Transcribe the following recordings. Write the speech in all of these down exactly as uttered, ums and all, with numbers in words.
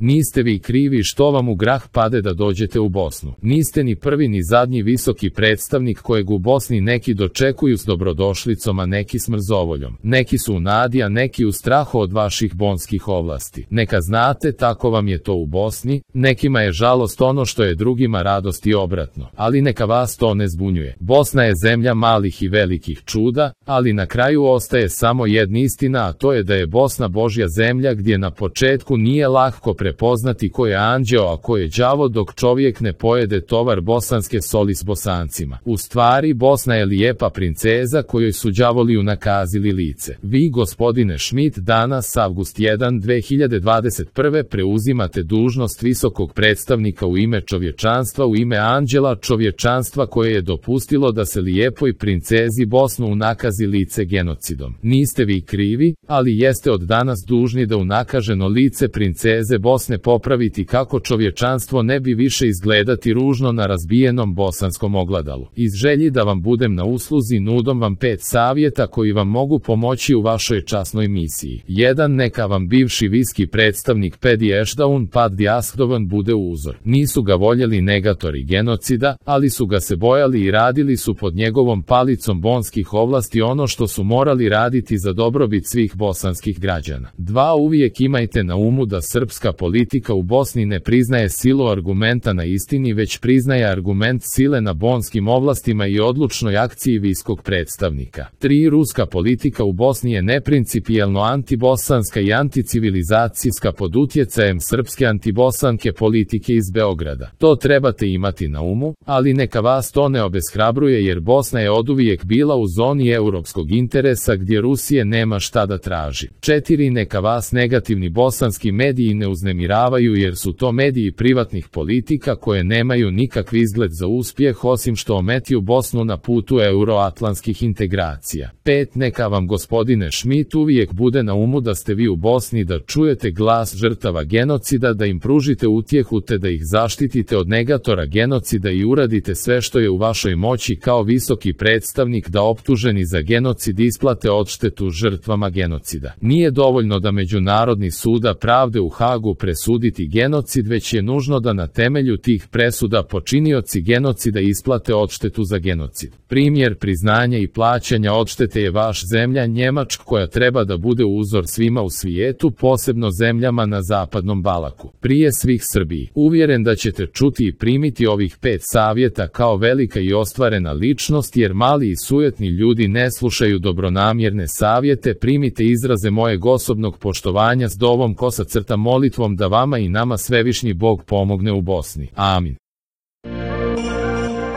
Niste vi krivi što vam u grah pade da dođete u Bosnu. Niste ni prvi ni zadnji visoki predstavnik kojeg u Bosni neki dočekuju s dobrodošlicom, a neki s mrzovoljom. Neki su u nadi, a neki u strahu od vaših bonskih ovlasti. Neka znate, tako vam je to u Bosni, nekima je žalost ono što je drugima radost i obratno. Ali neka vas to ne zbunjuje. Bosna je zemlja malih i velikih čuda, ali na kraju ostaje samo jedna istina, a to je da je Bosna Božja zemlja gdje na početku nije lako prepoznati ko je anđeo, a ko je đavo dok čovjek ne pojede tovar bosanske soli s Bosancima. U stvari, Bosna je lijepa princeza kojoj su đavoli unakazili lice. Vi, gospodine Schmidt, danas avgust prvi dve hiljade dvadeset prve preuzimate dužnost visokog predstavnika u ime čovječanstva, u ime anđela čovječanstva koje je dopustilo da se lijepoj princezi Bosnu unakazi lice genocidom. Niste vi krivi, ali jeste od danas dužni da unakaženo lice princeze Bosne popraviti kako čovječanstvo ne bi više izgledati ružno na razbijenom bosanskom ogledalu. Iz želji da vam budem na usluzi nudom vam pet savjeta koji vam mogu pomoći u vašoj časnoj misiji. jedan Neka vam bivši viski predstavnik Pedi Ešdaun Pad Diaskdovan bude uzor. Nisu ga voljeli negatori genocida, ali su ga se bojali i radili su pod njegovom palicom bonskih ovlasti ono što su morali raditi za dobrobit svih bosanskih građana. dva Uvijek imajte na umu da srpska politika u Bosni ne priznaje silu argumenta na istini, već priznaje argument sile na bonskim ovlastima i odlučnoj akciji viskog predstavnika. tri Ruska politika u Bosni je neprincipijelno antibosanska i anticivilizacijska pod utjecajem srpske antibosanke politike iz Beograda. To trebate imati na umu, ali neka vas to ne obeshrabruje jer Bosna je oduvijek bila u zoni europskog interesa gdje Rusije nema šta da traži. četiri Neka vas negativni bosanski mediji ne uznemiravaju jer su to mediji privatnih politika koje nemaju nikakvi izgled za uspjeh osim što ometiju Bosnu na putu euroatlantskih integracija. pet Neka vam, gospodine Schmidt, uvijek bude na umu da ste vi u Bosni, da čujete glas žrtava genocida, da im pružite utjehu te da ih zaštitite od negatora genocida i uradite sve što je u vašoj moći kao visoki predstavnik da optuženi za genocid isplate odštetu žrtvama genocida. Nije dovoljno da Međunarodni suda pravde u Hagu presuditi genocid, već je nužno da na temelju tih presuda počinioci genocida isplate odštetu za genocid. Primjer priznanja i plaćanja odštete je vaš zemlja Njemačka koja treba da bude uzor svima u svijetu, posebno zemljama na zapadnom Balaku. Prije svih Srbiji. Uvjeren da ćete čuti i primiti ovih pet savjeta kao velika i ostvarena ličnost jer mali i sujetni ljudi ne slušaju dobronamjerne savjete. Primite izraze mojeg osobnog poštovanja s dovom kosa crta molitvom da vama i nama svevišnji Bog pomogne u Bosni. Amin.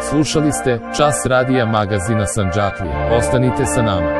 Slušali ste Čas radija magazina Sandžaklija. Ostanite sa nama.